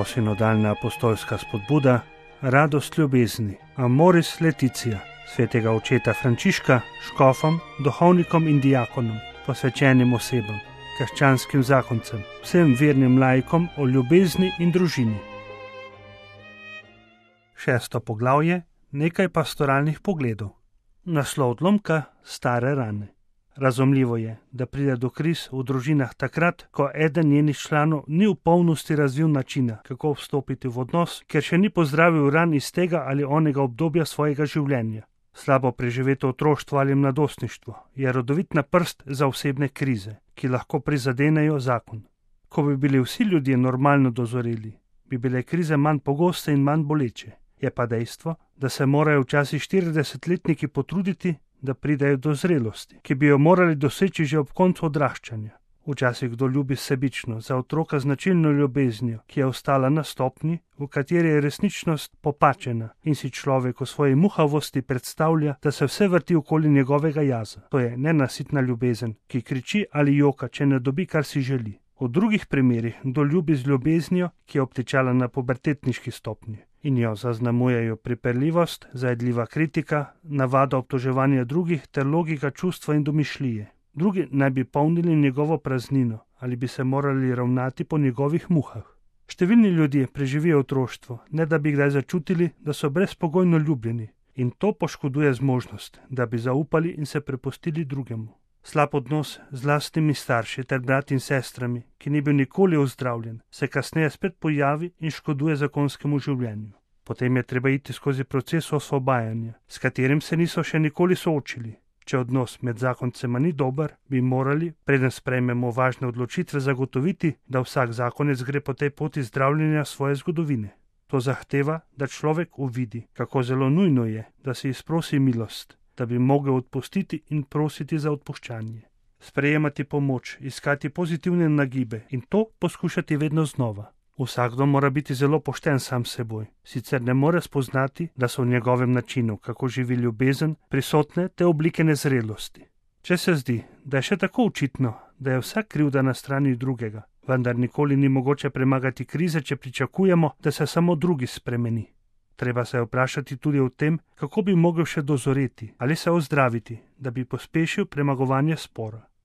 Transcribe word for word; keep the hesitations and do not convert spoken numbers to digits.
Novosinodalna apostolska spodbuda, radost ljubezni, Amoris Laetitia, svetega očeta Frančiška, škofom, duhovnikom in diakonom, posvečenim osebam, krščanskim zakoncem, vsem vernim laikom o ljubezni in družini. Šesto poglavje, nekaj pastoralnih pogledov. Naslov odlomka, stare rane. Razumljivo je, da pride do kriz v družinah takrat, ko eden njenih članov ni v polnosti razvil načina, kako vstopiti v odnos, ker še ni pozdravil ran iz tega ali onega obdobja svojega življenja. Slabo preživeto otroštvo ali mladostništvo je rodovitna prst za osebne krize, ki lahko prizadenejo zakon. Ko bi bili vsi ljudje normalno dozoreli, bi bile krize manj pogoste in manj boleče. Je pa dejstvo, da se morajo včasih štiridesetletniki potruditi, da pridejo do zrelosti, ki bi jo morali doseči že ob koncu odraščanja. Včasih kdo ljubi sebično, za otroka značilno ljubeznijo, ki je ostala na stopnji, v kateri je resničnost popačena in si človek v svoji muhavosti predstavlja, da se vse vrti okoli njegovega jaza. To je nenasitna ljubezen, ki kriči ali joka, če ne dobi, kar si želi. V drugih primerih kdo ljubi z ljubeznijo, ki je obtičala na pubertetniški stopnji in jo zaznamujejo pripeljivost, zajedljiva kritika, navada obtoževanja drugih ter logika čustva in domišljije. Drugi naj bi polnili njegovo praznino ali bi se morali ravnati po njegovih muhah. Številni ljudje preživijo otroštvo, ne da bi kdaj začutili, da so brezpogojno ljubljeni, in to poškoduje zmožnost, da bi zaupali in se prepustili drugemu. Slab odnos z lastnimi starši ter brati in sestrami, ki ni bil nikoli ozdravljen, se kasneje spet pojavi in škoduje zakonskemu življenju. Potem je treba iti skozi proces osvobajanja, s katerim se niso še nikoli soočili. Če odnos med zakoncema ni dober, bi morali, preden sprejmemo važne odločitve, zagotoviti, da vsak zakonec gre po tej poti zdravljenja svoje zgodovine. To zahteva, da človek uvidi, kako zelo nujno je, da si izprosi milost, da bi mogel odpustiti in prositi za odpuščanje. Sprejemati pomoč, iskati pozitivne nagibe in to poskušati vedno znova. Vsakdo mora biti zelo pošten sam s seboj, sicer ne more spoznati, da so v njegovem načinu, kako živi ljubezen, prisotne te oblike nezrelosti. Če se zdi, da je še tako očitno, da je vsak krivda na strani drugega, vendar nikoli ni mogoče premagati krize, če pričakujemo, da se samo drugi spremeni. Treba se vprašati tudi o tem, kako bi mogel še dozoreti ali se ozdraviti, da bi pospešil premagovanje spora.